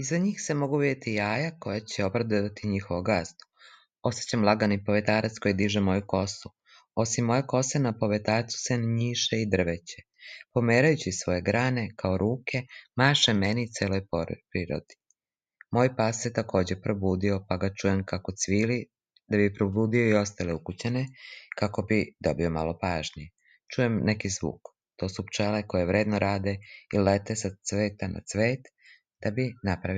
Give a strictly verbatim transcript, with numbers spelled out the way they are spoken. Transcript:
Iza njih se mogu vidjeti jaja koja će obradovati njihovo gazdu. Osjećam lagani povetarac koji diže moju kosu. Osim moje kose na povetarcu se njiše i drveće. Pomerajući svoje grane kao ruke, maše meni i celoj prirodi. Moj pas se također probudio, pa ga čujem kako cvili, da bi probudio i ostale ukućane, kako bi dobio malo pažnje. Čujem neki zvuk. To su pčele koje vredno rade i lete sa cveta na cvet, da bi napravili